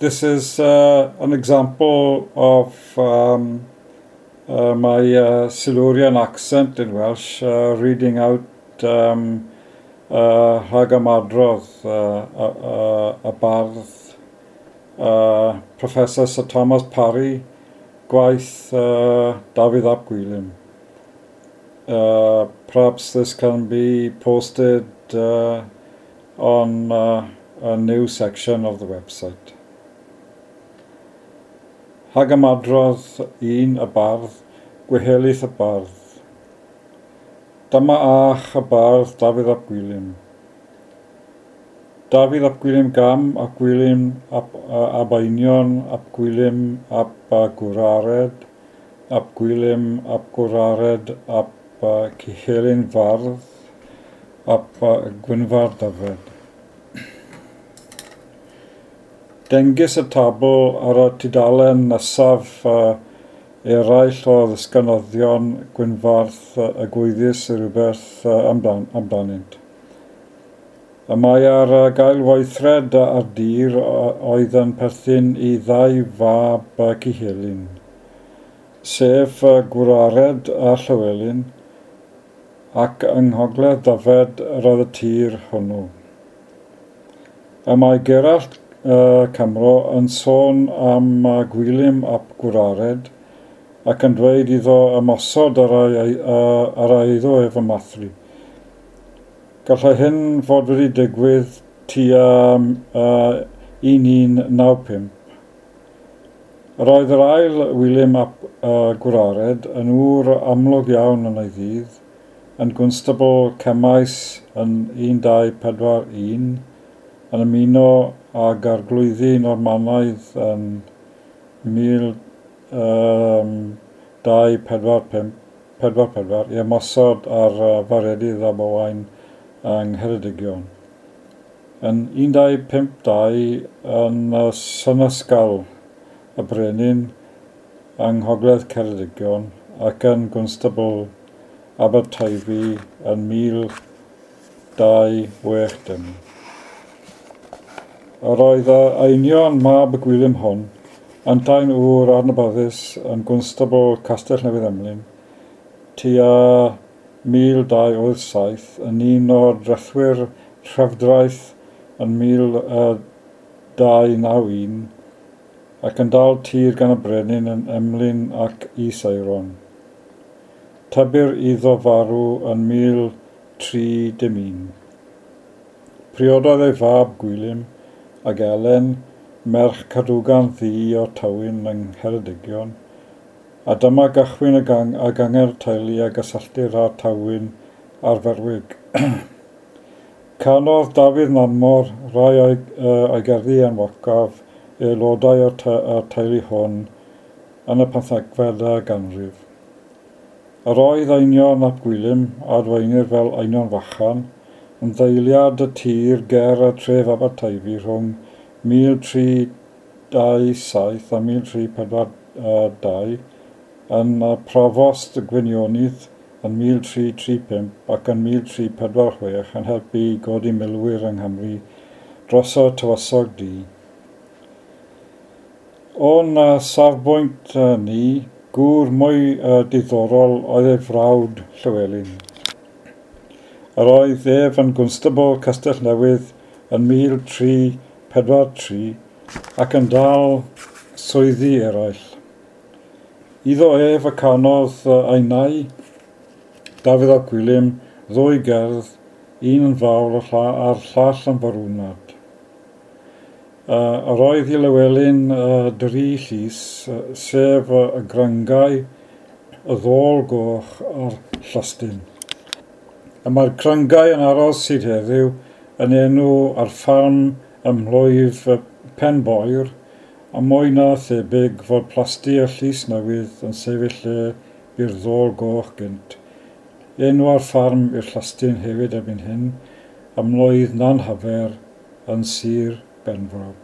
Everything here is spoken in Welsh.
This is an example of my Silurian accent in Welsh, reading out Rhagymadrodd y bardd Professor Sir Thomas Parry, gwaith Dafydd ap Gwilym. Perhaps this can be posted on a new section of the website. Rhagymadrodd 1 y bardd, Gwehelyth y bardd. Dyma ach y bardd Dafydd ap Gwilym. Dafydd ap Gwilym Gam ap Gwilym ap ab Einion ap Gwilym ap Gwrared ap Gwilym ap Gwrared ap Cuhelyn Fardd ap Gwynfar Dyfed. Dengys y tabl ar y tudalen nesaf eraill o ddisgynyddion Gwynfardd y gwyddys rhywbeth amdanynt. Y mae ar gael weithred ar dir oedd yn perthyn i ddau fab Cuhelyn, sef Gwrared a Llywelyn, ac yng Nghogledd Dyfed yr oedd y tir hwnnw. Y mae Gerallt Cymro yn sôn am Gwilym ap Gwrared ac yn dweud iddo ymosod ar ei eiddo ef ym Mathri. Gallai hyn fod wedi digwydd tua 1195. Yr oedd yr ail Wilym ap Gwrared yn ŵr amlwg iawn yn ei ddydd, yn gwnstabl Cemaes yn 1241, yn ymuno ag arglwyddi Normanaidd yn 1245 i ymosod ar Faredydd ab Owain yng Ngheredigion. Yn 1252 yn Synysgal y Brenin yng Nghogledd Ceredigion ac yn Gwnstabl Aberteifi yn 1260. Yr oedd Einion mab y Gwilym hwn, yntau'n ŵr adnabyddus yn Gwnstabl Castell Newydd Emlyn, tua 1287 yn un o'r drethwyr Trefdraeth yn 1291 ac yn dal tir gan y brenin yn Emlyn ac Is-Aeron. Tybir iddo farw yn 1301. Priododd ei fab Gwilym ag Elen, merch Cadwgan Ddu o Tywyn yng Ngheredigion, a dyma gychwyn y gang a gangen teulu a gysylltir â Tywyn a'r Ferwig. Canodd Dafydd Nanmor rai o'i gerddi enwocaf i aelodau o'r teulu hwn yn y 15fed ganrif. Yr oedd Einion ap Gwilym, a adwaenir fel Einion Fychan, yn ddeiliad y tir ger y tref Aberteifi rhwng 1327 a 1342, yn Profost Gwynionydd yn 1335 ac yn 1346 yn helpu i godi milwyr yng Nghymru dros y Tywysog Du. O'n safbwynt ni, gŵr mwy diddorol oedd ei frawd Llywelyn. Yr oedd ef yn gwnstabl Castell Newydd yn 1343 ac yn dal swyddi eraill. Iddo ef y canodd ei nai, Dafydd ap Gwilym, ddwy gerdd, un yn fawl a'r llall yn farwnad. Yr oedd i Lywelyn dri llys, sef y Gryngau, y Ddôl Goch a'r Llystyn. Y mae'r Cryngau yn aros hyd heddiw yn enw ar ffarm ym mhlwyf Penboyr, a mwy na thebyg fod plasty y Llys Newydd yn sefyll lle bu'r Ddôl Goch gynt. Enw ar ffarm i'r Llystyn hefyd erbyn hyn, ym mlwydd Nanhyfer yn Sir Benfro.